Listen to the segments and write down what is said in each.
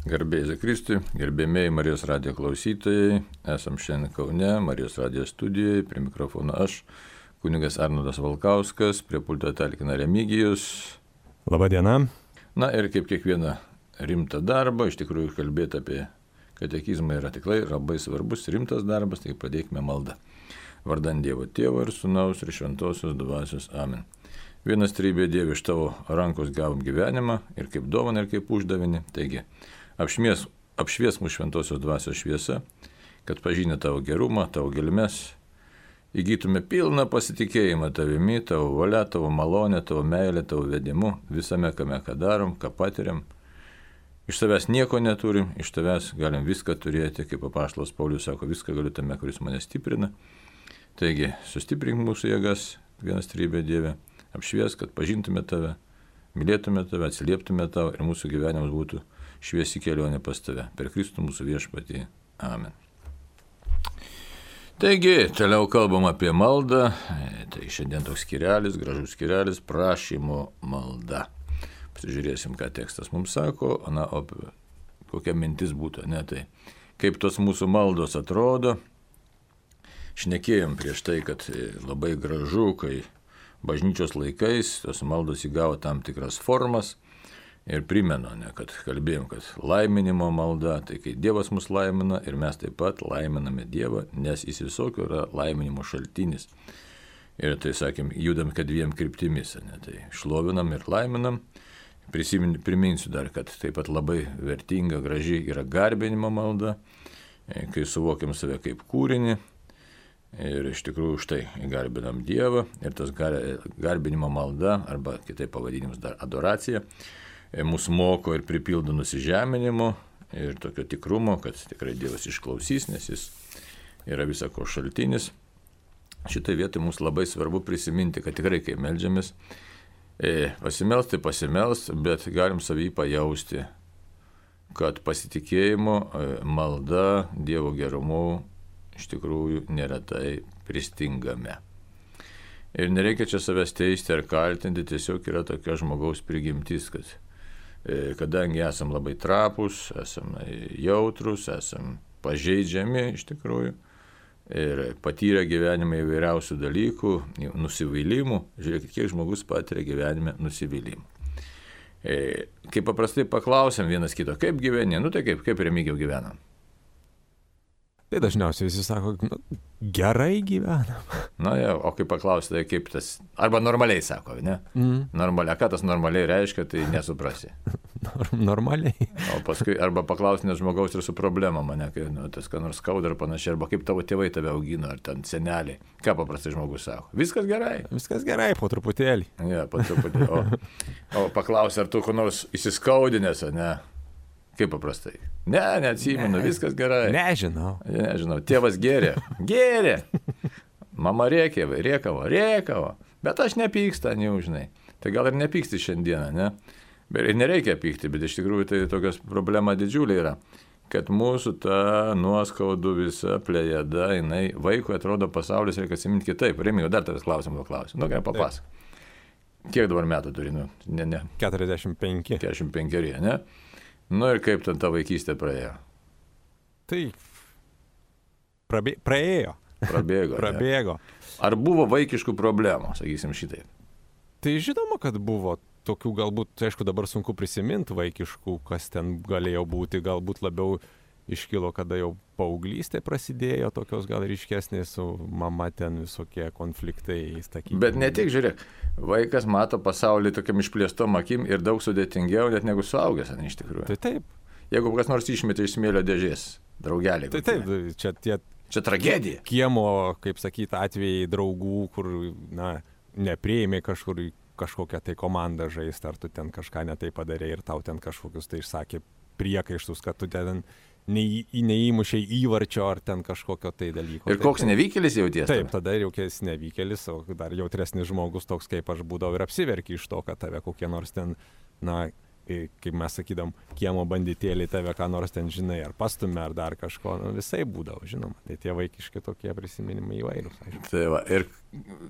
Garbėjai Kristui, gerbėmėjai Marijos radijo klausytojai, esam šiandien Kaune, Marijos radijo studijoje, prie mikrofono aš, kunigas Arnoldas Valkauskas, prie pulto talkina Remigijus. Labą dieną. Na ir kaip kiekvieną rimtą darbą, iš tikrųjų kalbėti apie katekizmą yra tikrai labai svarbus, rimtas darbas, tai pradėkime maldą. Vardant Dievo Tėvo ir Sūnaus ir Šventosios Dvasios. Amen. Vienas trybė Dieve, iš tavo rankos gavom gyvenimą ir kaip dovaną, ir kaip uždavinį. Taigi, apšvies mūsų Šventosios Dvasios šviesa, kad pažinę tavo gerumą, tavo gelmes, įgytume pilną pasitikėjimą tavimi, tavo valia, tavo malonę, tavo meilę, tavo vedimu, visame, kame ką darom, ką patiriam. Iš tavęs nieko neturim, iš tavęs galim viską turėti, kaip apaštalas Paulius sako, viską galiu tame, kuris mane stiprina. Taigi, sustiprink mūsų jėgas, vienas trybė Dieve, apšvies, kad pažintume tave, mylėtume tave, atsilieptume tavo ir mūsų gyvenimas būtų šviesi kelionė pas tave. Per Kristų mūsų viešpatį. Amen. Taigi, toliau kalbam apie maldą. Tai šiandien toks skirelis, gražus skirelis, prašymo malda. Pasižiūrėsim, ką tekstas mums sako, o kokia mintis būtų. Tai kaip tos mūsų maldos atrodo. Šnekėjom prieš tai, kad labai gražu, kai bažnyčios laikais tos maldos įgavo tam tikras formas. Ir primenu, kad kalbėjom, kad laiminimo malda, tai kai Dievas mus laimina ir mes taip pat laiminame Dievą, nes jis visokio yra laiminimo šaltinis. Ir tai, sakėm, judam kad dviem kryptimis, tai šlovinam ir laiminam. Priminsiu dar, kad taip pat labai vertinga, graži yra garbinimo malda, kai suvokiam save kaip kūrinį. Ir iš tikrųjų už tai garbinam Dievą ir tas garbinimo malda, arba kitaip pavadinimus dar adoracija, mūsų moko ir pripildo nusižeminimo ir tokio tikrumo, kad tikrai Dievas išklausys, nes jis yra visako šaltinis. Šitai vietai mums labai svarbu prisiminti, kad tikrai kai meldžiamės, pasimelst tai pasimelst, bet galim savį pajausti, kad pasitikėjimo malda Dievo gerumu iš tikrųjų neretai pristingame. Ir nereikia čia savęs teisti ar kaltinti, tiesiog yra tokia žmogaus prigimtis, kad kadangi esam labai trapus, esam jautrus, esam pažeidžiami iš tikrųjų ir patyrę gyvenime įvairiausių dalykų, nusivylimų, žiūrėkit, kiek žmogus patiria gyvenime nusivylimų. Kai paprastai paklausiam vienas kito, kaip gyveni, tai kaip Remigijau gyvenam? Tai dažniausiai visi sako, gerai gyvenam. O kai paklausi, tai kaip tas, arba normaliai sako, ne? Normaliai, ką tas normaliai reiškia, tai nesuprasi. Normaliai. O paskui, arba paklausi nes žmogaus ir su problema mane, kai tas ką nors skauda ar panašiai, arba kaip tavo tėvai tave augino, ar ten seneliai. Ką paprastai žmogus sako? Viskas gerai. Viskas gerai, po truputėlį. Po truputėlį. O paklausi, ar tu ko nors įsiskaudinęs, ne? Kaip paprastai? Neatsimenu, viskas gerai. Nežinau. Tėvas gėrė. Mama rėkavo. Bet aš nepyksta, žinai. Tai gal ir nepyksti šiandieną, ne? Ir nereikia pykti, bet iš tikrųjų tai tokios problema didžiulė yra. Kad mūsų ta nuoskaudų visa plejada, vaikui atrodo pasaulis reikia atsiminti kitaip. Remigijau, dar tavęs klausimą klausiu. Gerai, papasak. Kiek dabar metų turi? 45. 45, ne? Ir kaip ten ta vaikystė praėjo? Tai praėjo. Prabėgo. Ar buvo vaikiškų problemų, sakysim šitai? Tai žinoma, kad buvo tokių galbūt, aišku, dabar sunku prisiminti vaikiškų, kas ten galėjo būti, galbūt labiau iškilo, kada jau paauglystė prasidėjo, tokios gal ryškesnės su mama ten visokie konfliktai. Bet ne tik, žiūrėk, vaikas mato pasaulį tokiam išplėstom akim ir daug sudėtingiau net negu suaugęs, iš tikrųjų. Tai taip. Jeigu kas nors išmetė iš smėlio dėžės, draugelį. Tai taip, čia tragedija. Kiemo, kaip sakyt, atvejai draugų, kur, nepriėmė kažkokią tai komandą žaisti, ar tu ten kažką netai padarė ir tau ten kažkokius tai išsakė priekaištus, kad tu ten neįmušiai įvarčio ar ten kažkokio tai dalyko. Ir koks nevykėlis jauties? Taip, tada jaukės nevykėlis, o dar jautresnis žmogus toks kaip aš būdavau ir apsiverki iš to, kad tave kokie nors ten, kaip mes sakydam, kiemo banditėliai tave ką nors ten žinai, ar pastumė, ar dar kažko, visai būdavo, žinoma. Tai tie vaikiški tokie prisiminimai įvairūs. Tai va, ir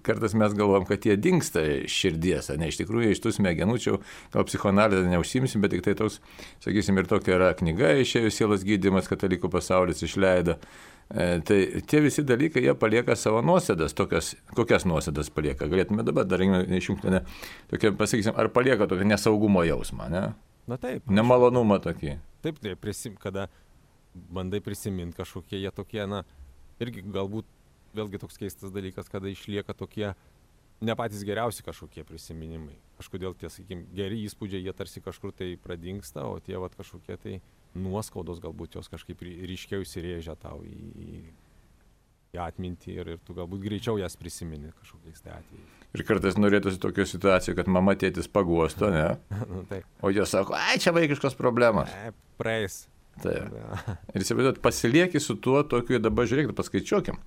kartais mes galvom, kad jie dingsta širdies, ne iš tikrųjų iš tų smegenų, čia gal psichoanalizę neužsimsim, bet tik tai toks, sakysim, ir tokia yra knyga išėjo Sielos gydymas, katalikų pasaulis išleido. Tai tie visi dalykai, jie palieka savo nuosėdas, kokias nuosėdas palieka. Galėtume dabar dar išjungti, tokia, pasakysim, ar palieka tokią nesaugumo jausmą, ne? Na taip. Nemalonumą tokį. Taip, kada bandai prisiminti kažkokie jie tokie, irgi galbūt vėlgi toks keistas dalykas, kada išlieka tokie ne patys geriausi kažkokie prisiminimai. Kažkodėl tie, sakykime, geri įspūdžiai, jie tarsi kažkur tai pradingsta, o tie kažkokie tai nuoskaudos galbūt jos kažkaip ryškiau įsirėžia tau į atmintį ir tu galbūt greičiau jas prisimeni kažkokiais tai atvejais. Ir kartais norėtųsi tokio situacijų, kad mama tėtis paguosto, ne? Taip. O jie sako, čia vaikiškos problemos. Praeis. Taip. Ir įsivaizduot, pasilieki su tuo tokiu, dabar žiūrėk, paskaičiuokim.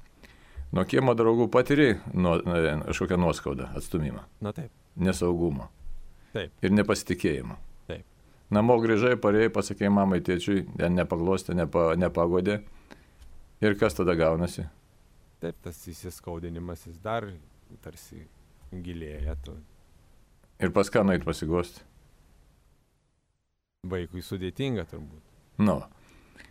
Nuo kiemo draugų patiri kažkokią nuoskaudą, atstumimą. Na taip. Nesaugumo. Taip. Ir nepasitikėjimo. Taip. Namo grįžai, parėjai, pasakėjai mamai, tėčiui, nepaglostė, nepagodė. Ir kas tada gaunasi? Taip, tas įsiskaudinimas jis dar tarsi gilėja. Ir pas ką nueit pasiguosti? Vaikui sudėtinga turbūt.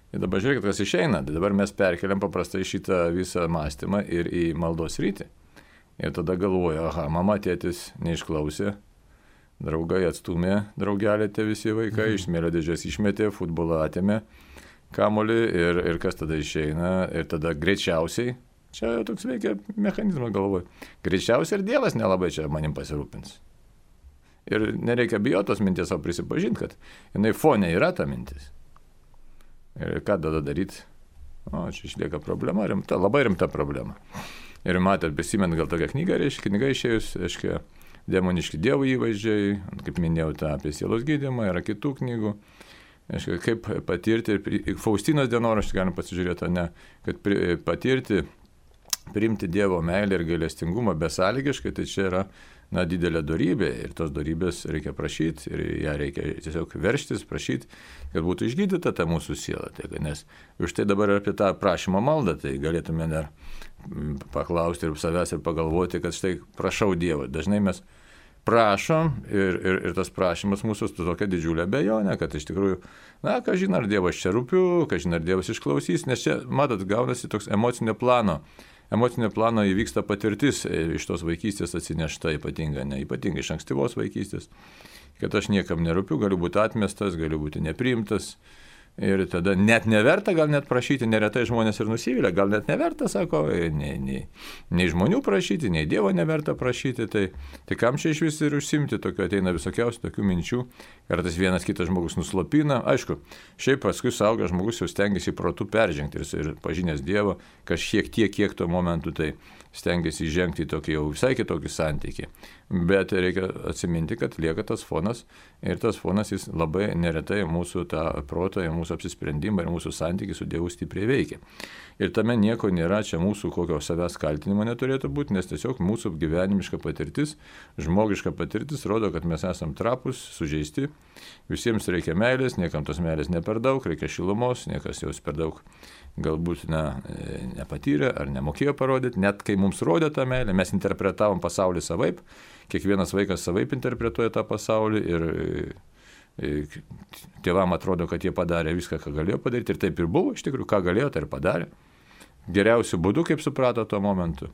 Ir dabar žiūrėkit, kas išeina. Dabar mes perkeliam paprastai šitą visą mąstymą ir į maldos rytį. Ir tada galvoju, mama, tėtis neišklausė, draugai atstumė, draugelė tie visi vaikai, iš smėlio dėžės išmetė, futbolą atėmė, kamuolį ir kas tada išeina. Ir tada greičiausiai, čia jau toks veikia mechanizmas galvoju, greičiausiai ir Dievas nelabai čia manim pasirūpins. Ir nereikia bijotos minties, o prisipažinti, kad jinai fone yra ta mintis. Ir ką tada daryti? Čia išlieka problema, labai rimta problema. Ir matėt, prisimint gal tokią knygą, knyga išėjus, demoniški dievų įvaizdžiai, kaip minėjau, apie sielos gydymą, yra kitų knygų. Kaip patirti, Faustinos dienoraštį galim pasižiūrėti, kad patirti, priimti Dievo meilę ir gailestingumą besąlygiškai, tai čia yra didelė dorybė ir tos dorybės reikia prašyti ir ją reikia tiesiog verštis, prašyti, kad būtų išgydyta ta mūsų siela. Nes už tai dabar apie tą prašymo maldą, tai galėtume dar paklausti ir savęs ir pagalvoti, kad štai prašau Dievo. Dažnai mes prašom ir tas prašymas mūsų su tokia didžiulė abejonė, kad iš tikrųjų, kažin ar Dievas čia rūpiu, kažin ar Dievas išklausys, nes čia, matot, gaunasi toks emocinio plano įvyksta patirtis iš tos vaikystės atsinešta ypatingai iš ankstyvos vaikystės, kad aš niekam nerūpiu, galiu būti atmestas, galiu būti nepriimtas. Ir tada net neverta, gal net prašyti, neretai žmonės ir nusivylę, gal net neverta, sako, nei žmonių prašyti, nei Dievo neverta prašyti, tai kam čia iš vis ir užsimti, tokio ateina visokiausių tokių minčių, kartais vienas kitas žmogus nuslopina, aišku, šiaip paskui suaugęs žmogus jau stengiasi protu peržengti ir pažinęs Dievą, kažkiek tiek, kiek tuo momentu tai stengiasi įžengti į tokį jau visai kitokį santykį. Bet reikia atsiminti, kad lieka tas fonas ir tas fonas jis labai neretai mūsų tą protą, mūsų apsisprendimą ir mūsų santykį su Dievu stipriai veikia. Ir tame nieko nėra, čia mūsų kokio savęs kaltinimo neturėtų būti, nes tiesiog mūsų gyvenimiška patirtis, žmogiška patirtis rodo, kad mes esam trapus, sužeisti, visiems reikia meilės, niekam tos meilės ne per daug, reikia šilumos, niekas jos per daug galbūt nepatyrė ar nemokėjo parodyti, net kai mums rodė tą meilę, mes interpretavom pasaulį savaip, kiekvienas vaikas savaip interpretuoja tą pasaulį ir tėvam atrodo, kad jie padarė viską, ką galėjo padaryti ir taip ir buvo, iš tikrųjų, ką galėjo, tai ir padarė. Geriausiu būdu, kaip suprato tuo momentu.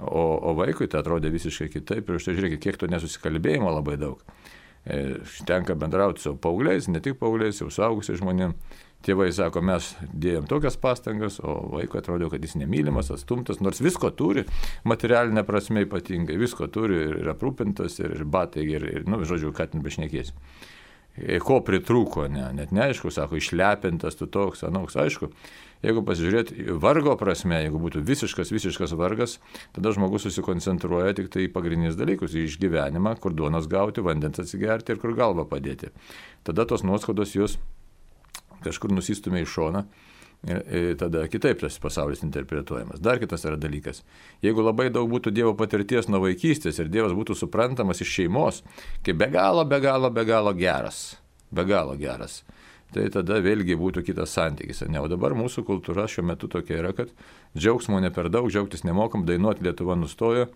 O vaikui tai atrodė visiškai kitaip ir štai žiūrėkit, kiek to nesusikalbėjimo labai daug. Tenka bendrauti su paaugliais, ne tik paaugliais, jau suaugusiais žmonėmis. Tėvai sako, mes dėjom tokias pastangas, o vaikui atrodo, kad jis nemylimas, atstumtas, nors visko turi, materialinė prasme ypatingai, visko turi ir aprūpintas, ir batai, ir žodžiu, ką ten bešnekės. Ko pritrūko, net neaišku, sako, išlepintas, tu toks, anoks, aišku. Jeigu pasižiūrėt vargo prasme, jeigu būtų visiškas vargas, tada žmogus susikoncentruoja tik tai į pagrindinius dalykus, į išgyvenimą, kur duonos gauti, vandens atsigerti ir kur galvą padėti. Tada tos nuoskaudos jos kažkur nusistumė į šoną ir tada kitaip tas pasaulis interpretuojamas. Dar kitas yra dalykas. Jeigu labai daug būtų Dievo patirties nuo vaikystės ir Dievas būtų suprantamas iš šeimos, kaip be galo geras, be galo geras, tai tada vėlgi būtų kitas santykis. Ne? O dabar mūsų kultūra šiuo metu tokia yra, kad džiaugsmo ne per daug, džiaugtis nemokam, dainuoti Lietuva nustojo.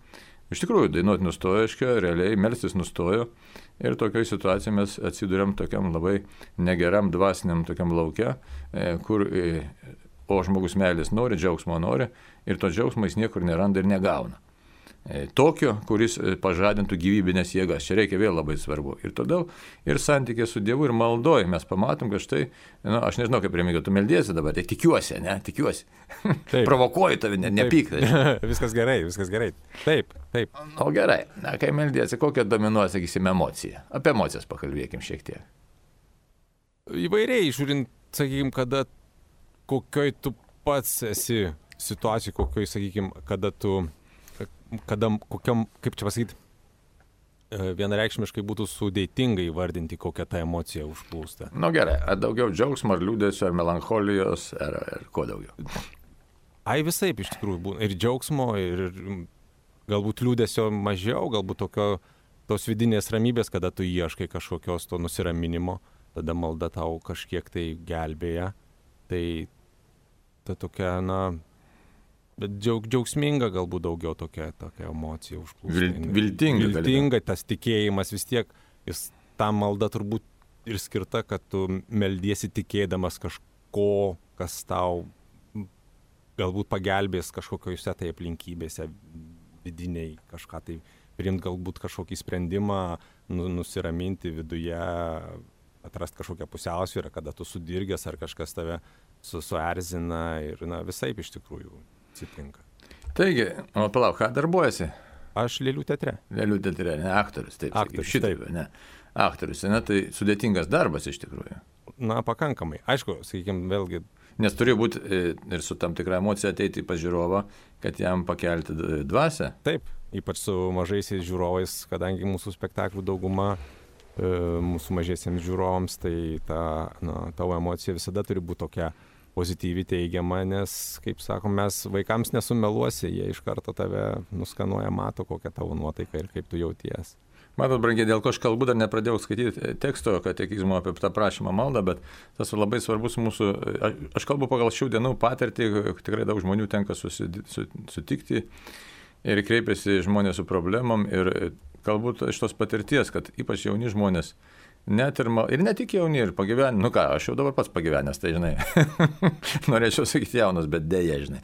Iš tikrųjų, dainuoti nustojo, realiai melstis nustojo ir tokioje situacijoje mes atsiduriam tokiam labai negeram dvasiniam tokiam lauke, kur o žmogus meilės nori, džiaugsmo nori ir to džiaugsmo jis niekur neranda ir negauna. Tokio, kuris pažadintų gyvybinės jėgas. Čia reikia vėl labai svarbu. Ir todėl ir santykė su Dievu ir maldoje mes pamatom, kad štai, aš nežinau, kaip Remigijau, tu meldiesi dabar, tai tikiuosi, ne, tikiuosi. Provokuoju tave, nepyk. Viskas gerai. Taip. O gerai, na, kai meldiesi, kokia dominuoja, sakysim, emocija. Apie emocijas pakalbėkim šiek tiek. Įvairiai, žiūrint, sakykim, kokioj tu pats esi situacijai, kokioj, sakykim, kokiam, kaip čia pasakyti, vienareikšmiškai būtų sudėtinga įvardinti, kokią tą emociją užplūsta. Gerai, ar daugiau džiaugsmo, ar liūdesio, ar melancholijos, ar ko daugiau? Visaip iš tikrųjų būna. Ir džiaugsmo, ir galbūt liūdesio mažiau, galbūt tos vidinės ramybės, kada tu ieškai kažkokios to nusiraminimo, tada malda tau kažkiek tai gelbėja. Tai ta tokia, bet džiaugsminga galbūt daugiau tokia emocija užplūsta. Viltinga, tas tikėjimas vis tiek, ta malda turbūt ir skirta, kad tu meldiesi tikėdamas kažko, kas tau galbūt pagelbės kažkokiose tai aplinkybėse vidiniai, kažką tai priimti galbūt kažkokį sprendimą, nusiraminti viduje, atrasti kažkokią pusiausvyrą, kada tu sudirgęs ar kažkas tave suerzina ir visaip iš tikrųjų atsitinka. Taigi, palauk, ką darbuojasi? Aš Lėlių teatre. Lėlių teatre, ne aktorius, taip. Šitaip, ne. Aktorius, tai sudėtingas darbas iš tikrųjų. Pakankamai. Aišku, sakykime, vėlgi. Nes turi būti ir su tam tikra emocija ateiti pas žiūrovą, kad jam pakelti dvasią. Taip, ypač su mažaisiais žiūrovais, kadangi mūsų spektaklių dauguma mūsų mažiesiems žiūrovams, tai tavo emocija visada turi būti tokia pozityvi, teigiama, nes, kaip sakom, mes vaikams nesumeluosi, jie iš karto tave nuskanuoja, mato, kokia tavo nuotaika ir kaip tu jauties. Matot, brangiai, dėl ko aš kalbu, dar nepradėjau skaityti teksto katekizmo apie tą prašymą maldą, bet tas labai svarbus mūsų, aš kalbu pagal šių dienų patirtį, tikrai daug žmonių tenka sutikti ir kreipiasi žmonės su problemom ir galbūt iš tos patirties, kad ypač jauni žmonės, net ir ne tik jauni, ir pagyvenę, aš jau dabar pats pagyvenęs, tai žinai, norėčiau sakyti jaunas, bet dėja, žinai.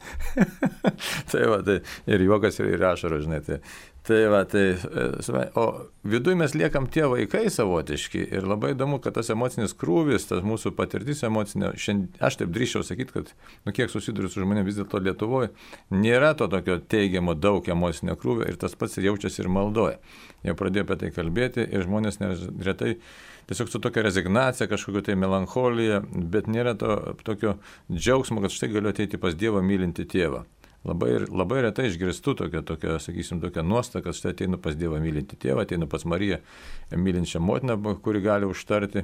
Tai ir juokas, ir ašaros, žinai. O viduje mes liekam tie vaikai savotiški ir labai įdomu, kad tas emocinis krūvis, tas mūsų patirtis emocinė, aš taip drįsčiau sakyti, kad, kiek susiduriu su žmonėmis vis dėlto Lietuvoje, nėra to tokio teigiamo daug emocinio krūvio ir tas pats ir jaučiasi ir maldoje. Jau pradėjo apie tai kalbėti ir žmonės neretai tiesiog su tokia rezignacija, kažkokio tai melancholija, bet nėra to tokio džiaugsmo, kad štai galiu ateiti pas Dievą mylinti tėvą. Labai retai išgirstu tokią, sakysim, tokią nuostatą, kad štai ateinu pas Dievą mylinti tėvą, ateinu pas Mariją mylinčią motiną, kuri gali užtarti,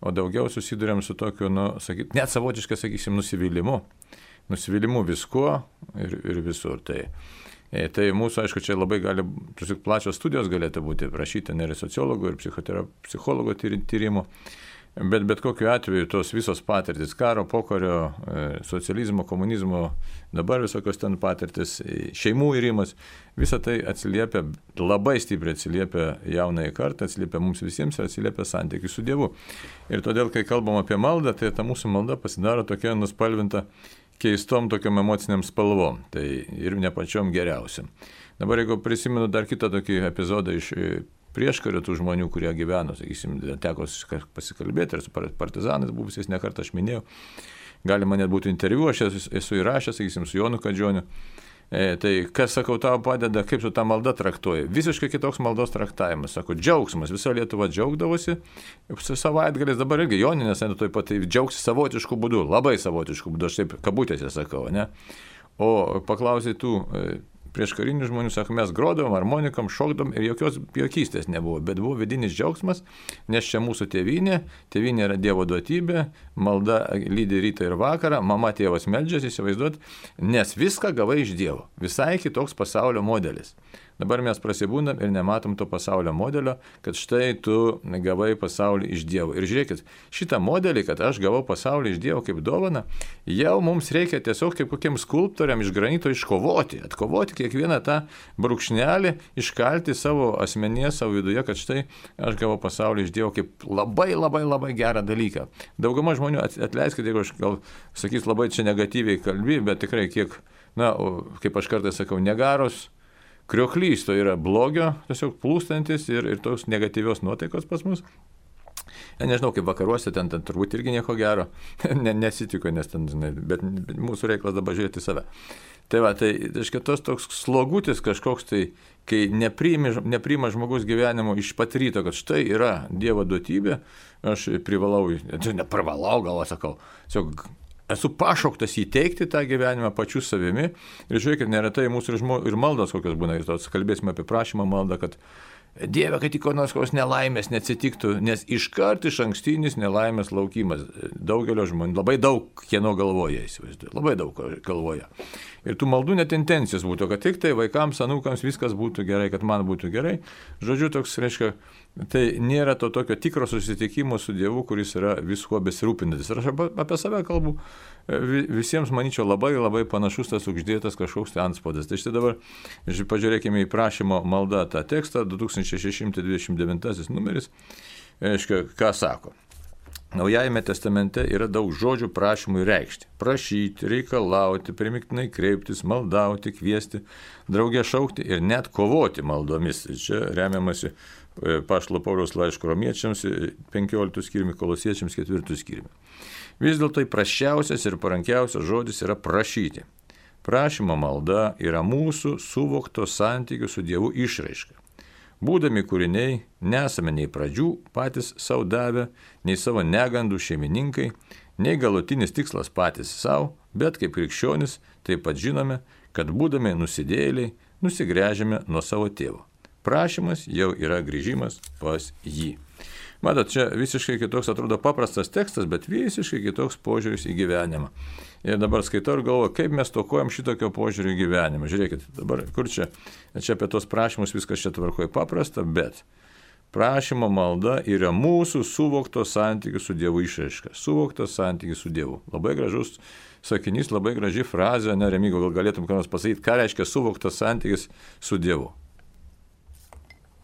o daugiau susiduriam su tokiu, net savotiškai, sakysim, nusivylimu viskuo ir visur. Tai mūsų, aišku, čia labai gali, plačios studijos galėtų būti prašyti ir sociologų, ir psichologų tyrimų. Bet kokiu atveju tos visos patirtis, karo, pokario, socializmo, komunizmo, dabar visokios ten patirtis, šeimų irimas, visa tai atsiliepia, labai stipriai atsiliepia jaunai kartai, atsiliepia mums visiems ir atsiliepia santykiui su Dievu. Ir todėl, kai kalbam apie maldą, tai ta mūsų malda pasidaro tokia nuspalvinta keistom tokiam emociniam spalvom, tai ir ne pačiom geriausiam. Dabar, jeigu prisimenu dar kitą tokį epizodą iš prieškario tų žmonių, kurie gyveno, sakysim, teko pasikalbėti ir su partizanais buvusiais nekartą aš minėjau. Galima net būti interviu, aš esu įrašęs, sakysim, su Jonu Kadžioniu. Tai kas, sakau, tau padeda, kaip su ta malda traktuoja? Visiškai kitoks maldos traktavimas. Sako, džiaugsmas, visa Lietuva džiaugdavosi. Savaitgalis dabar irgi Joninės, tuoj pat tai džiaugsi savotiškų būdų, labai savotiškų būdų, aš taip kabutėse sakau, ne? O paklausai tų prieš karinių žmonių, sako, mes grodavom, harmonikom, šokdavom ir jokios juokystės nebuvo, bet buvo vidinis džiaugsmas, nes čia mūsų tėvynė yra Dievo duotybė, malda lydi rytą ir vakarą, mama tėvas meldžiasi, įsivaizduot, nes viską gavai iš Dievo, visai kitoks pasaulio modelis. Dabar mes prasibūndam ir nematom to pasaulio modelio, kad štai tu gavai pasaulį iš Dievo. Ir žiūrėkit, šitą modelį, kad aš gavau pasaulį iš Dievo kaip dovaną, jau mums reikia tiesiog kaip kokiem skulptoriam iš granito atkovoti kiekvieną tą brūkšnelį, iškalti savo asmenyje, savo viduje, kad štai aš gavau pasaulį iš Dievo kaip labai gerą dalyką. Dauguma žmonių, atleiskite, jeigu aš gal sakys labai čia negatyviai kalbi, bet tikrai kiek, kaip aš kartais sakau, negaros, krioklys, tai yra blogio, tiesiog plūstantis ir tos negatyvios nuotaikos pas mus. Nežinau, kaip vakaruose, ten turbūt irgi nieko gero, nesitiko, nes ten, žinai, bet mūsų reikalas dabar žiūrėti save. Tai va, tai tos toks slogutis kažkoks, tai kai nepriima žmogus gyvenimo iš pat ryto, kad štai yra Dievo duotybė, aš neprivalau, gal sakau, tiesiog esu pašauktas įteikti tą gyvenimą pačiu savimi. Ir žiūrėkit, neretai mūsų ir maldos kokios būna, ir tos kalbėsime apie prašymą maldą, kad Dieve, kad tik kokios nelaimės neatsitiktų, nes iškart iš ankstinis nelaimės laukimas. Daugelio žmonių, labai daug kieno galvoja, įsivaizduoju, labai daug galvoja. Ir tų maldų net intencijos būtų, kad tik tai vaikams, anūkams viskas būtų gerai, kad man būtų gerai. Žodžiu, toks reiškia, tai nėra to tokio tikro susitikimo su Dievu, kuris yra viskuo besirūpinantis. Ir aš apie save kalbu, visiems, manyčiau, labai panašus tas uždėtas kažkoks tai antspaudas. Tai štai dabar pažiūrėkime į prašymo maldą tą tekstą, 2629 numeris, reiškia, ką sako. Naujajame testamente yra daug žodžių prašymui reikšti. Prašyti, reikalauti, primiktinai kreiptis, maldauti, kviesti, draugė šaukti ir net kovoti maldomis. Čia remiamasi Apaštalo Pauliaus laiško Romiečiams 15 skyriumi, Kolosiečiams 4 skyriumi. Vis dėlto prasčiausias ir parankiausias žodis yra prašyti. Prašymo malda yra mūsų suvokto santykių su Dievu išraiška. Būdami kūriniai, nesame nei pradžių patys savo davę, nei savo negandų šeimininkai, nei galutinis tikslas patys savo, bet kaip krikščionis taip pat žinome, kad būdami nusidėjėliai, nusigręžiame nuo savo tėvo. Prašymas jau yra grįžimas pas jį. Matot, čia visiškai kitoks atrodo paprastas tekstas, bet visiškai kitoks požiūris į gyvenimą. Ir dabar skaitau ir galvoju, kaip mes tokojam šitokio požiūrį į gyvenimą. Žiūrėkit, dabar kur čia apie tos prašymus viskas čia tvarkoja paprasta, bet prašymo malda yra mūsų suvokto santykių su Dievu išraiška. Suvoktas santykis su Dievu. Labai gražus sakinys, labai graži frazė, Remigo, gal galėtum ką nors pasakyti, ką reiškia suvoktas santykis su Dievu.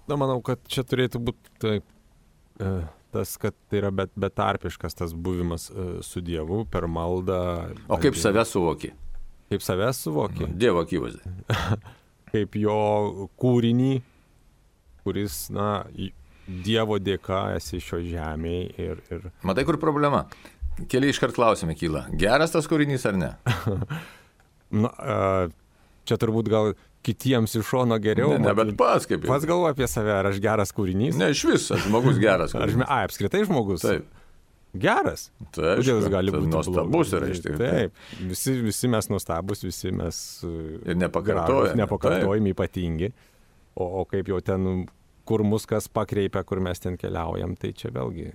Manau, kad čia turėtų būti tas, kad tai yra betarpiškas tas buvimas su Dievu per maldą. O kaip save suvoki? Kaip save suvoki? Dievo akivaizdai. Kaip jo kūrinį, kuris, Dievo dėka esi šio žemėje ir... Matai, kur problema? Keli iškart klausimai kyla. Geras tas kūrinys ar ne? Čia turbūt gal kitiems iš šono geriau. Ne, bet pats kaip jau. Pats galvoju apie save, ar aš geras kūrinys? Ne, iš viso, žmogus geras kūrinys. Apskritai žmogus? Taip. Geras? Taip, kodėl jis gali būti nuostabus yra iš tikrųjų. Taip, visi mes nuostabus, visi mes ir nepakartojami ypatingi. O kaip jau ten, kur mus kas pakreipia, kur mes ten keliaujam, tai čia vėlgi...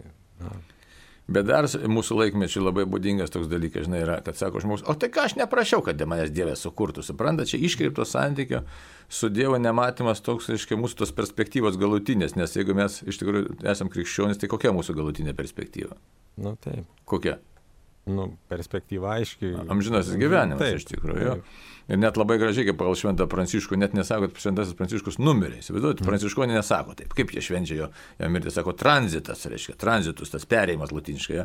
Bet dar mūsų laikmečiai labai būdingas toks dalykas, žinai, yra, kad sako žmogus, o tai ką aš neprašiau, kad manęs Dievas sukurtų, supranta, čia iškreipto santykio su Dievo nematymas toks, reiškia, mūsų tos perspektyvos galutinės, nes jeigu mes iš tikrųjų esam krikščionys, tai kokia mūsų galutinė perspektyva? Taip. Kokia? Perspektyva aiškiai. Amžinasis gyvenimas, taip, iš tikrųjų. Ir net labai gražiai, kaip pagal Šventą Pranciškų, net nesako, kad Šventasis Pranciškus numirė. Įsivaizduojate, Pranciškonė nesako taip. Kaip jie švenčia jo mirtį, sako tranzitas, reiškia, tranzitus, tas perėjimas latiniškai.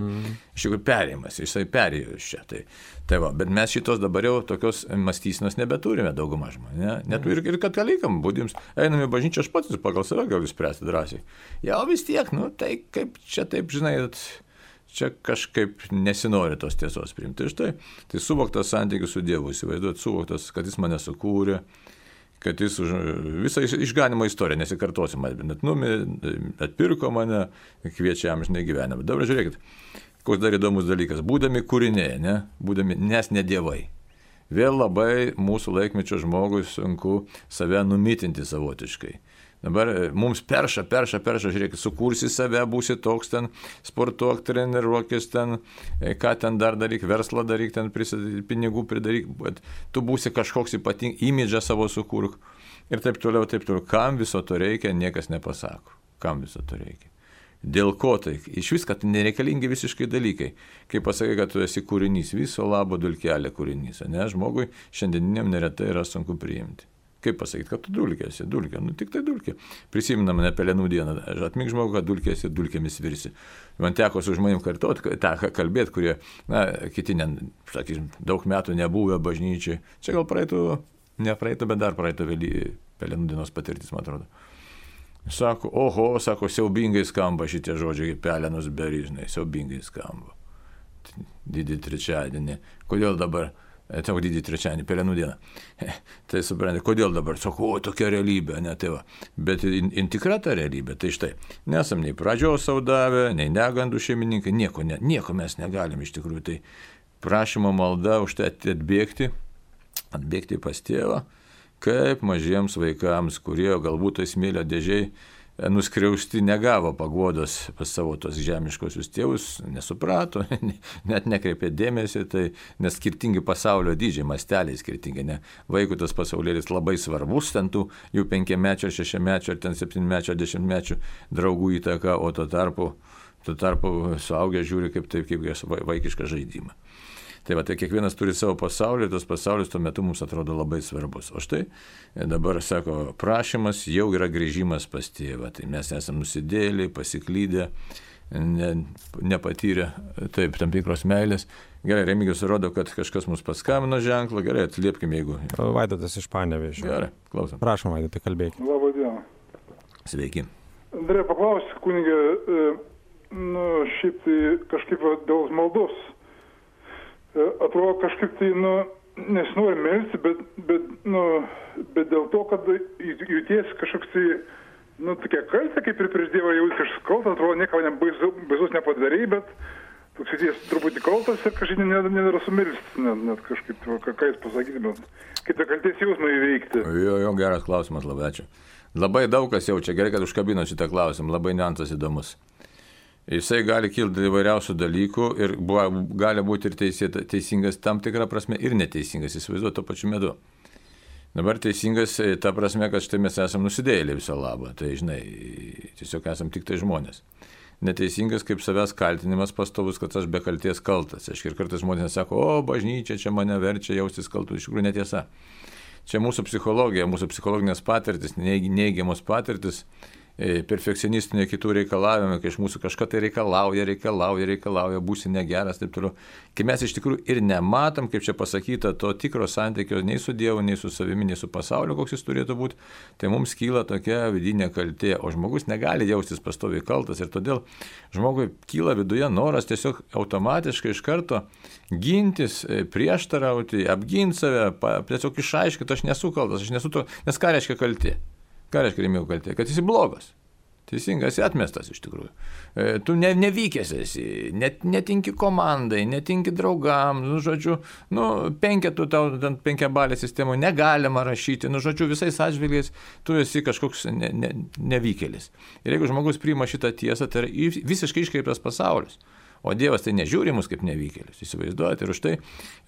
Iš tikrųjų perėjimas, jisai perėjo iš čia. Tai va, bet mes šitos dabar jau tokios mąstysenos nebeturime dauguma žmonių. Net ir katalikam, būdims, einam į bažnyčią, aš pats pagal save galiu spręsti drąsiai. Jau vis tiek, tai kaip čia taip, žinai, čia kažkaip nesinori tos tiesos priimti. Ir štai, tai suvoktas santykis su Dievu, įsivaizduot, suvoktas, kad jis mane sukūrė, kad jis visą išganimo istoriją, nesikartosim, bet atpirko mane, kviečia amžinai gyvenimą. Dabar žiūrėkit, koks dar įdomus dalykas. Būdami kūriniai, nes ne dievai. Vėl labai mūsų laikmečio žmogui sunku save numitinti savotiškai. Dabar mums perša, žiūrėk, sukursi save, būsi toks ten, sportuok, treniruokis ten, ką ten dar daryk, verslą daryk, ten pinigų pridaryk, bet tu būsi kažkoks ypatingas, imidžą savo sukurk ir taip toliau. Kam viso to reikia, niekas nepasako. Kam viso to reikia? Dėl ko tai? Iš vis, kad nereikalingi visiškai dalykai. Kai pasakai, kad tu esi kūrinys, viso labo dulkelė kūrinys, ne? Žmogui šiandieniniam neretai yra sunku priimti. Kaip pasakyti, kad tu dulkė esi, dulkė, nu tik tai dulkė. Prisiminam ne Pelenų dieną, atmink žmogų, kad dulkė esi, dulkėmis virsi. Man teko su žmonėm kartuoti, tą kalbėti, kurie, kiti, sakysim, daug metų nebuvę bažnyčiai. Čia gal nepraeitų, bet dar praeitų Pelenų dienos patirtis, man atrodo. Sako, siaubingai skamba šitie žodžiai, pelenus beryžnai, siaubingai skamba. Didį trečiadienį. Kodėl dabar, didį trečiadienį, Pelenų dieną. Tai suprantate, kodėl dabar, sako, tokia realybė, ne tai va. Bet tikra ta realybė, tai štai, nesam nei pradžios saudavę, nei negandų šeimininkai, nieko mes negalim iš tikrųjų. Tai prašymo malda už tai atbėgti pas tėvą, kaip mažiems vaikams, kurie galbūt tai smėlio dėžiai nuskriausti negavo paguodos pas savo tos žemiškosius tėvus, nesuprato, net nekreipė dėmesį, tai nes skirtingi pasaulio dydžiai, masteliai skirtingi, ne? Vaikų tas pasaulėlis labai svarbus, ten tų jų 5-mečio, 6-mečio, ar ten 7-mečio, 10-mečio draugų įtaka, o tuo tarpu suaugę žiūri kaip vaikišką žaidimą. Tai va, tai kiekvienas turi savo pasaulį ir tas pasaulis tuo metu mums atrodo labai svarbus. O štai dabar, sako, prašymas jau yra grįžimas pas tėvą. Tai mes esame nusidėliai, pasiklydę, nepatyrę taip tam tikros meilės. Gerai, Remigijus rodo, kad kažkas mus paskambino ženklą. Gerai, atliepkime, jeigu... Vaidotas iš Panevėžio. Gerai, klausom. Prašom, Vaidotai, kalbėkime. Labą dieną. Sveiki. Andrė, paklausiu, kunigė, šiaip tai kažkaip dėl maldos. Atrodo kažkaip tai, nesinori melsti, bet dėl to, kad jauties kažkoks tai, tokia kaltė, kaip ir prieš Dievą jautis kažkoks kaltas, atrodo, nieko baisus nepadarei, bet toks jauties truputį kaltas ir kažkaip nedara sumelsti, net kažkaip, ką jūs pasakytumėt, kaip tą kaltės jausmą įveikti. Jo, geras klausimas, labai ačiū. Labai daug kas jaučia, gerai, kad užkabino šitą klausimą, labai niuansas įdomus. Jisai gali kilti įvairiausių dalykų ir gali būti ir teisingas tam tikrą prasme ir neteisingas, įsivaizduoju tuo pačiu metu. Dabar teisingas ta prasme, kad štai mes esame nusidėjėliai viso labo, tai žinai, tiesiog esame tik tai žmonės. Neteisingas kaip savęs kaltinimas pastovus, kad aš be kalties kaltas. Ir kartais žmonės sako, bažnyčia čia mane verčia jaustis kaltu, iš tikrųjų netiesa. Čia mūsų psichologija, mūsų psichologinės patirtis, neigiamos patirtis, perfekcionistinė kitų reikalavimai, kai iš mūsų kažką tai reikalauja, būsi negeras, taip toliau. Kai mes iš tikrųjų ir nematom, kaip čia pasakyta, to tikro santykio nei su Dievu, nei su savimi, nei su pasauliu, koks jis turėtų būti, tai mums kyla tokia vidinė kaltė, o žmogus negali jaustis pastoviai kaltas ir todėl žmogui kyla viduje noras tiesiog automatiškai iš karto gintis, prieštarauti, apginti save, tiesiog išaiškinti, aš nesu kaltas, aš nesu to, nes ką reiškia kaltė? Ką reiškia Remigijau kaltė? Kad esi blogas. Teisingas, esi atmestas iš tikrųjų. Tu nevykęs esi, netinki komandai, netinki draugam, penketų tau penkiabalė sistemoje negalima rašyti, visais atžvilgiais tu esi kažkoks nevykėlis. Ir jeigu žmogus priima šitą tiesą, tai yra visiškai iškreiptas pasaulis. O Dievas tai nežiūri mus kaip nevykėlius, įsivaizduojate, ir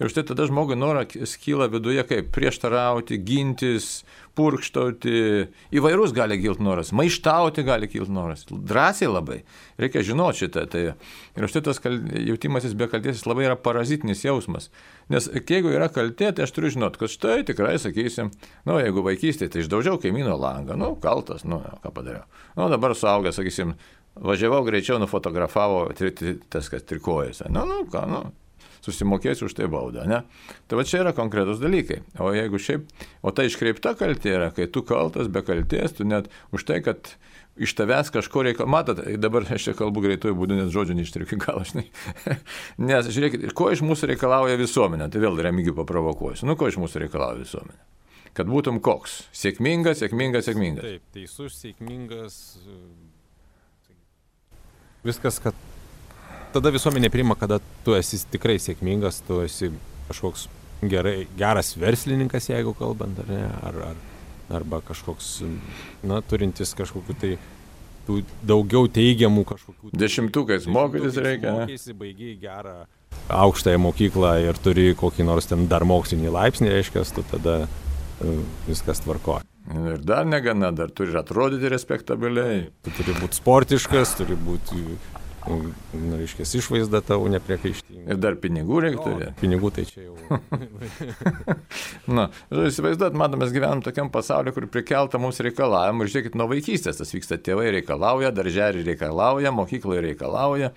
už tai tada žmogui noras kyla viduje kaip prieštarauti, gintis, purkštauti, įvairūs gali kilti noras, maištauti gali kilti noras, drąsiai labai, reikia žinoti šitą. Ir už tai tas jautimasis be kaltės labai yra parazitinis jausmas, nes jeigu yra kaltė, tai aš turiu žinoti, kad štai tikrai sakysim, jeigu vaikystėje, tai išdaužiau kaimyno langą, kaltas, ką padariau. Dabar suaugęs, sakysim, važiavau greičiau, nufotografavo tas, kas trikojas. Susimokėsiu už tai baudą, ne? Tai va čia yra konkretus dalykai. O jeigu ta iškreipta kaltė yra, kai tu kaltas be kaltės, tu net už tai, kad iš tavęs kažko reikalauja. Matot, dabar aš čia kalbu greitojų būdų, nes žodžių neištariu iki galo, žinai. Nes žiūrėkit, ko iš mūsų reikalauja visuomenė? Tai vėl Remigijų paprovokuosiu. Ko iš mūsų reikalauja visuomenė? Kad būtum koks? Sėkmingas. Taip, teisus, sėkmingas. Viskas, kad tada visuomenė priima, kada tu esi tikrai sėkmingas, tu esi kažkoks geras verslininkas, jeigu kalbant, ar arba kažkoks, turintis kažkokiu tai daugiau teigiamų kažkokių. Dešimtukais mokytis reikia. Mokysi, baigiai gerą aukštąją mokyklą ir turi kokį nors ten dar mokslinį laipsnį, reiškia, tu tada viskas tvarkoja. Ir dar negana, dar turi atrodyti respektabiliai. Tu turi būti sportiškas, turi būti, reiškia, išvaizda tavo nepriekaištinga. Ir dar pinigų reikia turėti. Pinigų tai čia jau. Įsivaizduot, matom, mes gyvenam tokiam pasauliu, kur prikelta mums reikalavimų. Ir žiūrėkit, nuo vaikystės tas vyksta, tėvai reikalauja, darželį reikalauja, mokykloje reikalauja.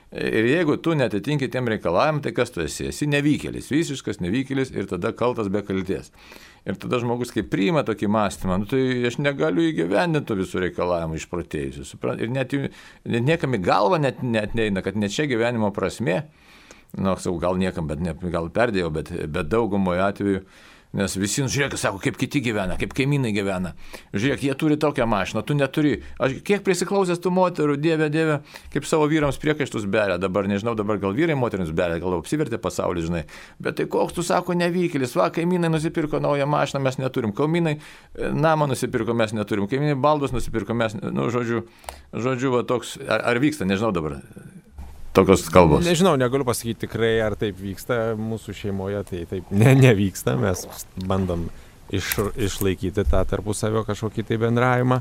Ir jeigu tu netitinki tiem reikalavimam, tai kas tu esi? Esi nevykėlis, visiškas nevykėlis ir tada kaltas be kalties. Ir tada žmogus, kai priima tokį mąstymą, tai aš negaliu įgyvendinti visų reikalavimų išprotėjusių. Ir net niekam į galvą net neina, kad ne čia gyvenimo prasmė, gal niekam, gal perdėjau, bet daugumoje atveju, nes visi, žiūrėk, sako, kaip kiti gyvena, kaip kaimynai gyvena. Žiūrėk, jie turi tokią mašiną, tu neturi. Aš kiek prisiklausęs tų moterų, dieve, kaip savo vyrams priekaištus beria. Dabar, nežinau, gal vyrai moterims beria, gal apsivertė pasaulis, žinai. Bet tai koks tu, sako, nevykėlis, va, kaimynai nusipirko naują mašiną, mes neturim. Kaimynai namą nusipirko, mes neturim. Kaimynai baldus nusipirko, mes, žodžiu, va toks, ar vyksta, nežinau dabar. Tokios kalbos. Nežinau, negaliu pasakyti tikrai, ar taip vyksta mūsų šeimoje, tai taip nevyksta, mes bandom išlaikyti tą tarpusavio kažkokį tai bendravimą,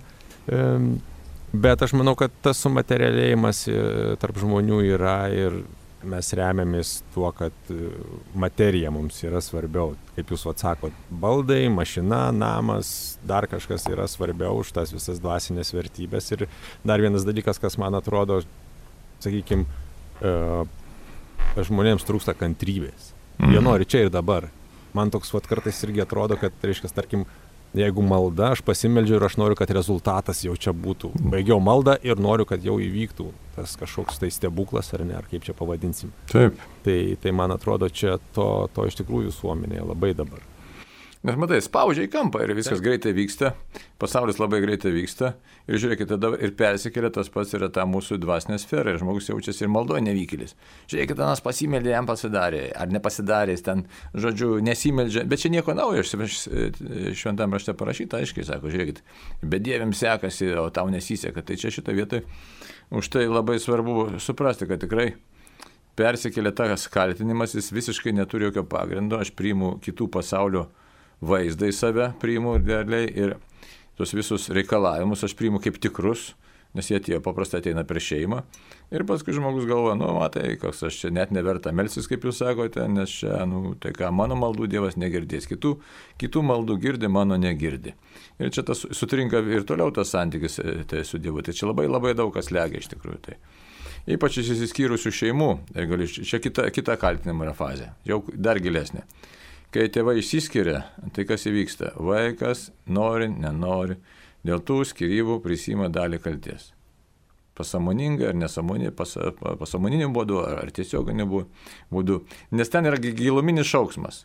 bet aš manau, kad tas sumaterialėjimas tarp žmonių yra ir mes remiamės tuo, kad materija mums yra svarbiau, kaip jūs atsakot, baldai, mašina, namas, dar kažkas yra svarbiau už tas visas dvasinės vertybės. Ir dar vienas dalykas, kas man atrodo, sakykime, žmonėms trūksta kantrybės. Jie nori čia ir dabar. Man toks kartais irgi atrodo, kad, reiškia, tarkim, jeigu malda, aš pasimeldžiu ir aš noriu, kad rezultatas jau čia būtų. Baigiau maldą ir noriu, kad jau įvyktų tas kažkoks tai stebuklas, ar ne, ar kaip čia pavadinsim. Taip. Tai man atrodo, čia to iš tikrųjų visuomenėje labai dabar. Nes matai, spaudžia į kampą ir viskas greitai vyksta, pasaulis labai greitai vyksta ir žiūrėkite, tada ir persikelia tas pats yra ta mūsų dvasinė sfera ir žmogus jaučiasi ir maldoje nevykėlis. Žiūrėkite, nas pasimeldė, jam pasidarė, ar nepasidarė, jis ten, žodžiu, nesimeldžia, bet čia nieko naujo, šventam rašte parašyta, aiškiai sako, žiūrėkite, bedieviams sekasi, o tau nesiseka, tai čia šitą vietą už tai labai svarbu suprasti, kad tikrai persikelia tas kaltinimas, jis visiškai neturi jokio pagrindo, aš priimu kitų pasaulio vaizdą į save, priimu realiai ir tos visus reikalavimus aš priimu kaip tikrus, nes jie tie paprastai ateina per šeimą ir paskui žmogus galvoja, matai, koks aš čia net neverta melsis, kaip jūs sakote, nes čia, tai ką, mano maldų Dievas negirdės, kitų maldų girdi, mano negirdi. Ir čia tas sutrinka ir toliau tas santykis tai su Dievu, tai čia labai labai daug kas legia iš tikrųjų. Tai. Ypač išsiskyrusių šeimų, čia kita kaltinimo yra fazė, jau dar gilesnė. Kai tėvai išsiskiria, tai kas įvyksta? Vaikas nori, nenori, dėl tų skyrybų prisima dalį kalties. Pasąmoningai ar nesąmoningai, pasąmoniniu būdu ar tiesioginiu būdu. Nes ten yra giluminis šauksmas.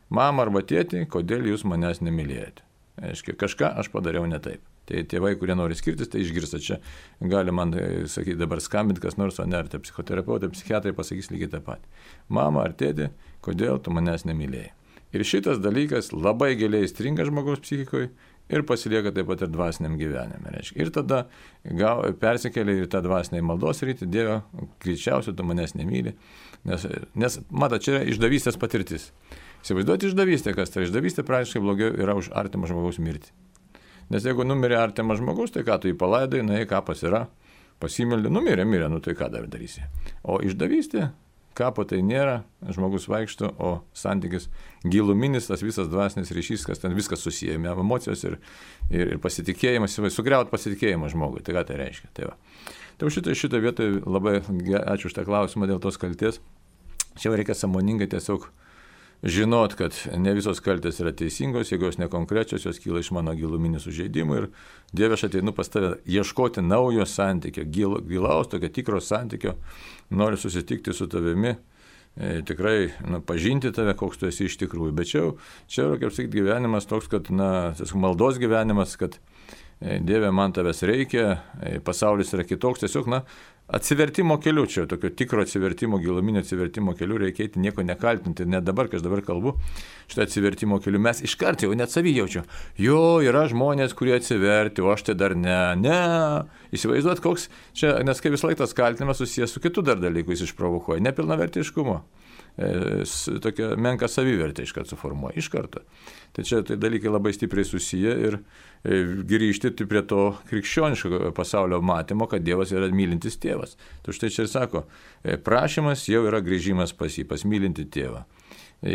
Mama arba tėti, kodėl jūs manęs nemylėjote? Aiškiai, kažką aš padariau ne taip. Tai tėvai, kurie nori skirtis, tai išgirsta čia. Gali man sakyti dabar skambinti, kas nors, o ne, ar tai psichoterapeutai, psichiatrai pasakys lygiai tą patį. Mama ar tėti, kodėl tu manęs nemylėjai? Ir šitas dalykas labai giliai stringa žmogaus psichikoje ir pasilieka taip pat ir dvasiniam gyvenime. Reiškia. Ir tada persikelia į tą dvasinį maldos rytį, Dieve, greičiausiai tu manęs nemyli, nes matai, čia yra išdavystės patirtis. Įsivaizduoti išdavystę, kas tai išdavystė praktiškai blogiau yra už artimą žmogaus mirtį. Nes jeigu numirė artimas žmogus, tai ką tu jį palaidai, kapas yra, pasimeldė, numirė, tai ką dar darysi. O išdavystė, kapo tai nėra, žmogus vaikšto, o santykis giluminis, tas visas dvasinis ryšys, kas ten viskas susijęme, emocijos ir pasitikėjimas, sugriaut pasitikėjimą žmogui, tai ką tai reiškia. Tai šitą vietą labai ačiū už tą klausimą dėl tos kalties. Čia reikia sąmoningai tiesiog žinot, kad ne visos kaltės yra teisingos, jeigu jos nekonkrečios, jos kyla iš mano giluminių sužeidimų ir Dieve, aš ateinu pas tave ieškoti naujo santykio, gilaus, tokio tikro santykio, noriu susitikti su tavimi, tikrai pažinti tave, koks tu esi iš tikrųjų. Bet čia yra, kaip sakyti, gyvenimas toks, kad, maldos gyvenimas, kad Dieve, man tavęs reikia, pasaulis yra kitoks, tiesiog, atsivertimo keliu, čia tokio tikro atsivertimo, giluminio atsivertimo keliu reikia eiti, nieko nekaltinti, net dabar, kai aš dabar kalbu, šitą atsivertimo keliu mes iš karto jau net savį jaučiu. Jo, yra žmonės, kurie atsiverti, o aš tai dar ne. Įsivaizduot, koks čia, nes kai vis laik tas kaltinimas susijęs su kitu dar dalyku, jis išprovokuoja, nepilnavertiškumo. Tokia menka savivertė iš karto suformuoja, iš karto. Tai čia tai dalykai labai stipriai susiję ir grįžti prie to krikščioniško pasaulio matymo, kad Dievas yra mylintis tėvas. Tai štai čia ir sako, prašymas jau yra grįžimas pas jį, pas mylinti tėvą.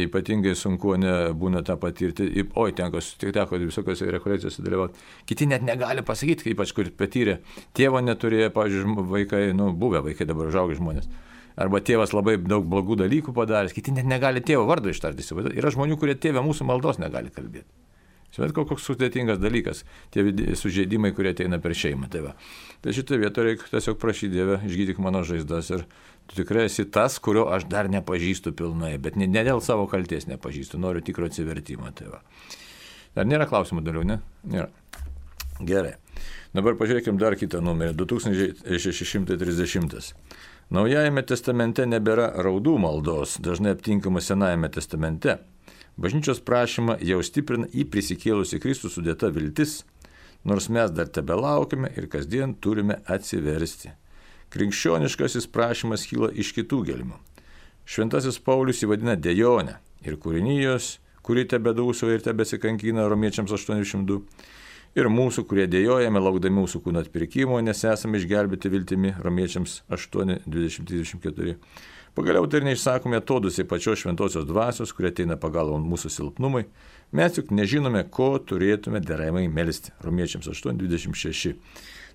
Ypatingai sunku būna tą patirti, teko visokiose rekolekcijose dalyvauti. Kiti net negali pasakyti, ypač kur patyrė, tėvo neturėjo, pavyzdžiui, vaikai, buvę vaikai dabar užaugę žmonės. Arba tėvas labai daug blogų dalykų padaręs, kiti net negali tėvo vardo ištarti. Yra žmonių, kurie tėvę mūsų maldos negali kalbėti. Bet koks sudėtingas dalykas, tie sužeidimai, kurie ateina per šeimą. Tai šitą vietą reikia tiesiog prašyti Dievę, išgydyk mano žaizdas ir tu tikrai esi tas, kurio aš dar nepažįstu pilnai, bet ne dėl savo kalties nepažįstu, noriu tikro atsivertimo. Dar nėra klausimų daliau, ne? Nėra. Gerai. Dabar pažiūrėkime dar kitą numerį, 2630. Naujajame testamente nebėra raudų maldos, dažnai aptinkama Senajame testamente. Bažnyčios prašymą jau stiprina į prisikėlusį Kristų sudėta viltis, nors mes dar tebelaukime ir kasdien turime atsiversti. Krikščioniškasis prašymas kyla iš kitų gelmių. Šventasis Paulius įvadina dejonę ir kūrinijos, kuri tebedūsauja ir tebesikankina Romiečiams 8:2. Ir mūsų, kurie dėjojame, laukdami mūsų kūno atpirkimo, nes esame išgelbėti viltimi Romiečiams 8:20-24. Pagaliau tai ir neišsakome atodūsiai pačios šventosios dvasios, kurie ateina pagalbon mūsų silpnumai. Mes juk nežinome, ko turėtume deramai melsti. Romiečiams 8:26.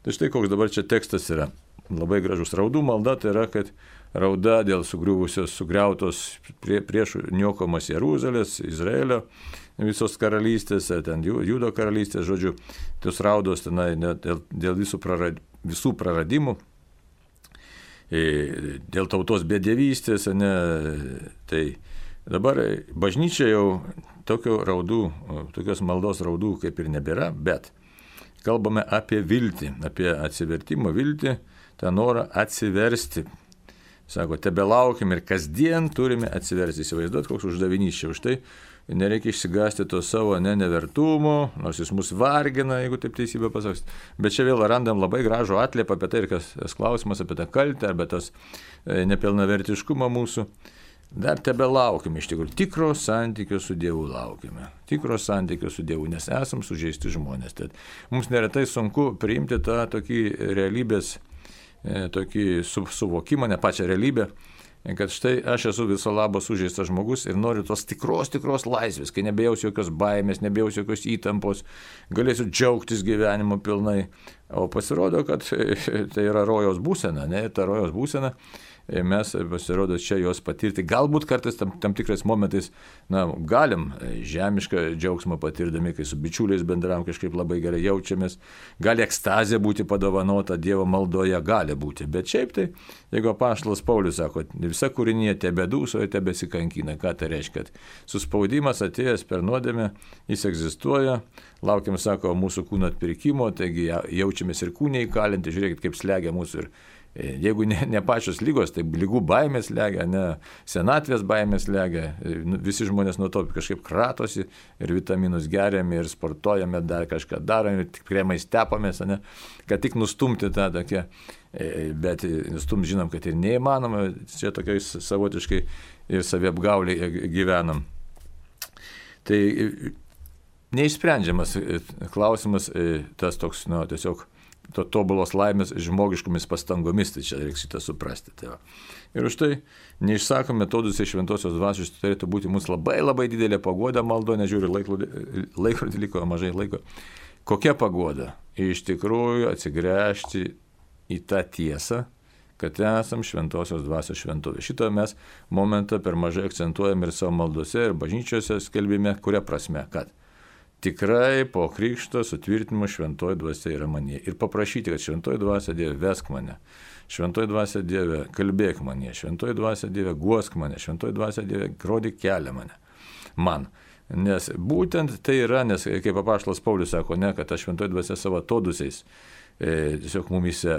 Tai štai koks dabar čia tekstas yra. Labai gražus. Raudų malda tai yra, kad rauda dėl sugriautos priešų niokamos Jeruzalės, Izraelio, visos karalystės, ten Judo karalystės, žodžiu, tos raudos tenai dėl visų praradimų, dėl tautos bedevystės, tai dabar bažnyčia jau tokios maldos raudų kaip ir nebėra, bet kalbame apie viltį, apie atsivertimo viltį, tą norą atsiversti. Sako, tebelaukim ir kasdien turime atsiversti. Įsivaizduot, koks uždavinys čia. Už tai nereikia išsigąsti to savo nevertumo, nors jis mus vargina, jeigu taip teisybę pasakys. Bet čia vėl randam labai gražų atliepą apie tai, ir kas klausimas apie tą kaltę, arba tas nepilnavertiškumą mūsų. Dar tebelaukim iš tikrųjų. Tikro santykio su Dievu laukime. Tikro santykio su Dievu, nes esam sužeisti žmonės. Tad mums neretai sunku priimti tą tokį realybės tokį suvokimą, ne pačią realybę, kad štai aš esu viso labo sužeistas žmogus ir noriu tos tikros laisvės, kai nebejausiu jokios baimės, nebejausiu jokios įtampos, galėsiu džiaugtis gyvenimu pilnai. O pasirodo, kad tai yra rojaus būsena, ta rojaus būsena. Mes pasirodo čia jos patirti. Galbūt kartais tam tikrais momentais galim žemišką džiaugsmą patirdami, kai su bičiuliais bendravom, kažkaip labai gerai jaučiamės. Gali ekstazė būti padovanota Dievo maldoje, gali būti. Bet šiaip tai, jeigu apaštalas Paulius sako, visa kūrinija tebedūsoja, tebesikankina. Ką tai reiškia? Kad suspaudimas atėjęs per nuodėmę, jis egzistuoja. Laukiam, sako, mūsų kūno atpirkimo, taigi jaučiamės ir kūniai įkalinti. Žiūrėkit, kaip slegia mūsų ir jeigu ne pačios lygos, tai lygų baimės slegia, senatvės baimės slegia, visi žmonės nuo to kažkaip kratosi ir vitaminus geriame ir sportuojame, dar kažką darome, tik kremais tepamės, kad tik nustumti tą tokią, bet žinom, kad ir neįmanoma, čia tokiais savotiškai ir saviapgauliai gyvenam. Tai neišsprendžiamas klausimas, tas toks, tiesiog tobulos laimės žmogiškomis pastangomis, tai čia reikia šitą suprasti. Tai ir už tai neišsakome metodus iš šventosios dvasios, turėtų būti mūsų labai didelė paguoda maldo, nežiūri laikrodį liko mažai laiko. Kokia paguoda? Iš tikrųjų atsigręžti į tą tiesą, kad esam šventosios dvasios šventovė. Šitą mes momentą per mažai akcentuojam ir savo maldose, ir bažnyčiose skelbime, kuria prasme, kad tikrai po krikšto sutvirtinimo šventoji dvasia yra manyje. Ir paprašyti, kad šventoji dvasia Dieve vesk mane, šventoji dvasia Dieve kalbėk mane, šventoji dvasia Dieve guosk mane, šventoji dvasia Dieve rodyk kelią man. Nes būtent tai yra, nes kaip apaštalas Paulius sako, kad ta šventoji dvasia savo atodūsiais tiesiog mumise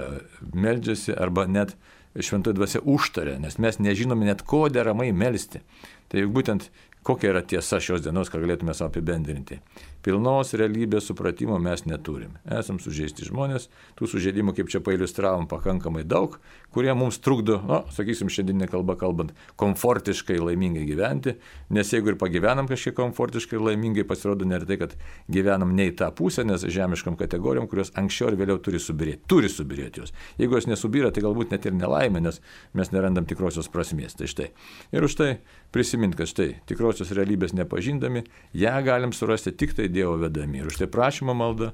meldžiasi arba net šventoji dvasia užtaria, nes mes nežinome net ko deramai melsti. Tai juk būtent kokia yra tiesa šios dienos, ką galėtume savo apibendrinti. Pilnos realybės supratimo mes neturim. Esam sužeisti žmonės, tų sužeidimų, kaip čia pailiustravom, pakankamai daug, kurie mums trukdo, sakysim, šiandieninė kalba kalbant, komfortiškai laimingai gyventi, nes jeigu ir pagyvenam kažkiek komfortiškai ir laimingai, pasirodo neretai, kad gyvenam ne į tą pusę, nes žemiškom kategorijom, kurios anksčiau ir vėliau turi subirėti jos. Jeigu jos nesubyra, tai galbūt net ir nelaimė, nes mes nerandam tikrosios prasmės. Tai štai. Ir už tai prisimint, kad štai tikrosios realybės nepažindami, ją galim surasti tik tai Dievo vedami. Ir už tai prašymo malda,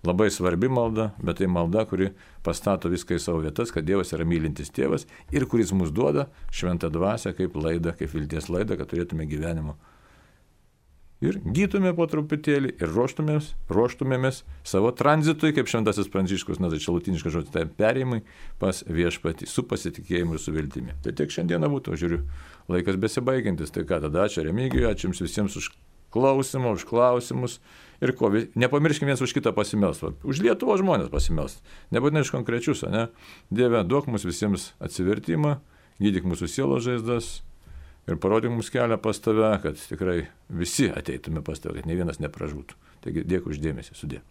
labai svarbi malda, bet tai malda, kuri pastato viską į savo vietas, kad Dievas yra mylintis tėvas ir kuris mums duoda šventą dvasią kaip laidą, kaip vilties laidą, kad turėtume gyvenimo. Ir gytume po truputėlį ir ruoštumėmės savo tranzitui, kaip šventasis Pranciškus, tai čia latiniškas žodis, tai perėjimai pas viešpatį su pasitikėjimu ir su viltimi. Tai tiek šiandieną būtų, žiūriu, laikas besibaigiantis. Tai ką tada, ačiū Remigijui, ačiū jums visiems už klausimą, už klausimus ir ko, nepamirškime viens už kitą pasimelst, už Lietuvos žmonės pasimelst, nebūtinai iš konkrečius, ne? Dieve, duok mums visiems atsivertimą, gydyk mūsų sielos žaizdas ir parodyk mums kelią pas tave, kad tikrai visi ateitume pas tave, kad ne vienas nepražūtų. Taigi dėkui už dėmesį, sudie.